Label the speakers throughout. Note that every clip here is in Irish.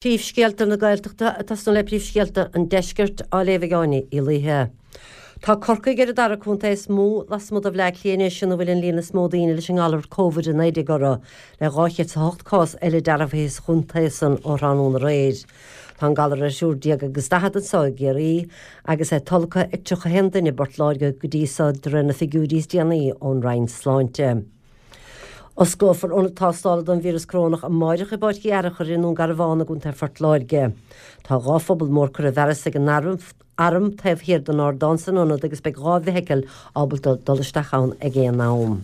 Speaker 1: Príomhscéalta na Gaeltachta ag tosnú le príomhscéalta an Deiscirt á léamh ag Áine Uí Laoithe. Tá Corcaigh ar an dara contae is mó lasmuigh de Bhleá Cliath anois ina bhfuil an líon is mó daoine leis an ngalar Covid-19 orthu, le 208 cás eile dearbhaithe sa chontae san ó thráthnóna aréir. Tá an galar ar thriúr déag agus 40 anseo i gCiarraí agus é tolgtha ag 31 duine i bPort Láirge go dtí so de réir na figiúirí is déanaí ón Roinn Sláinte. Osclófar ionad tástála don víreas corónach amáireach i bPáirc Uí Fhearachair i nDún Garbhán i gContae Phort Láirge. Tá 2 phuball mór curtha i bhfearas ag an Arm taobh thiar den ardán san ionad agus beidh 2 bhfeithicil ábalta dul isteach ann ag aon am.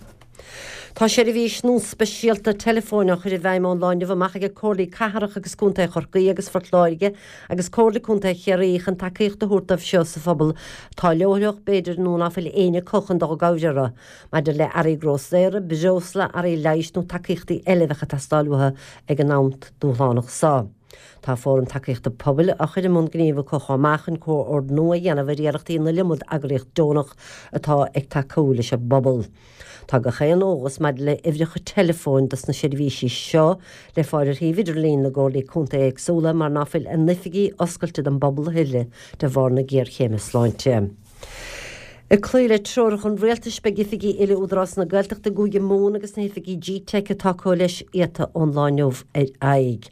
Speaker 1: Tá seirbhís nua speisialta teileafóin á chur i bhfeidhm ón lá inniu amach ag Comhairlí Cathrach agus Contae Chorcaí agus Phort Láirge agus Comhairle Contae Chiarraí chun tacaíocht a thabhairt dóibh seo sa phobal atá leochaileach b'fhéidir nó ná fuil éinne acu chun dul i gcabhair orthu. Maidir le earraí grósaera, breosla, earraí leighis nó tacaíochtaí eile a bheadh ag teastáil uathu ag an am dúshlánach seo. Tá Fóram Tacaíochta Pobail á chur i mbun gnímh acu chomh maith chun comhordnú a dhéanamh ar iarrachtaí na iliomad eagraíocht deonach atá ag tacú leis an bpobal. Tá gach aon eolas maidir le huimhreacha teileafóin dos na seirbhísí seo le fáil ar shuíomh idirlín na gcomhairlí contae éagsúla mar ná fuil a n-oifigí oscailte don bpobal a thuilleadh de bharr na géarchéime sláinte. Ag cloí le treoracha an Rialtais, beidh oifigí uile Údarás na Gaeltachta i gCúige Mumhan agus na hoifigí GTeic atá acu leis iata ón lá inniu ar aghaidh.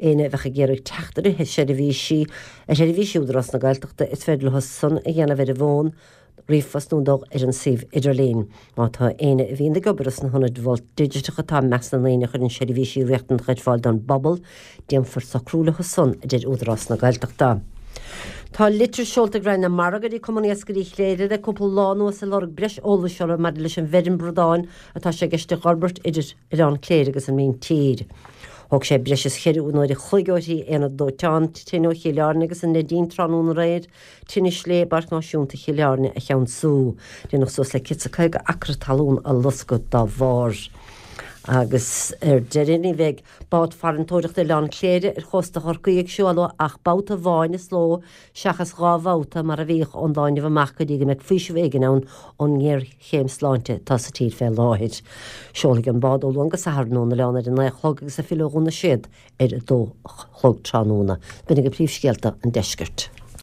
Speaker 1: Éinne a bheadh ag iarraidh teacht ar sheirbhísí ar sheirbhísí Údarás na Gaeltachta, is féidir leo san a dhéanamh ar an bhfón, ríomhphost nó dul ar an suíomh idirlín. Má tá éinne a bhíonn ag obair sna hionaid Mhol Digiteach atá i measc na ndaoine a chuireann seirbhísí riachtanacha ar fáil don bpobal, Déanfar socrú leo san, a deir Údarás na Gaeltachta. Tá litir seolta ag Roinn na Mara go dtí Cumann Iascairí Chléire le cúpla lá anuas ag lorg breis eolais orthu maidir leis an bhfeirm bradán atá sé i gceist a dh'fhorbairt idir Oileán Cléire agus an míntír. Thóg sé breis is cheithre uair a chloig uirthi aonad dóiteáin tine ó Chill Airne agus an Neidín tráthnóna aréir tine slé i bPáirc Náisiúnta Chill Airne a cheansú. Déanadh suas le 150 acra talún a loscadh dá bharr. Agus ar deireadh ní bheidh Bád farantóireachta Oileán Cléire ar chósta Chorcaí ag seoladh ach babhta amháin sa ló seachas 2 bhabhta mar a bhíodh ón lá inniu amach go dtí go mbeidh faoiseamh éigin ann ón ngéarchéim sláinte atá sa tír fé láthair. Seolfaidh an bád ó Luan go Satharn ón oileán ar a 9 a chlog agus ag filleadh ó Dhún na Séad ar a 2 a chlog tráthnóna. B'in agaibh príomhscéalta an deiscirt.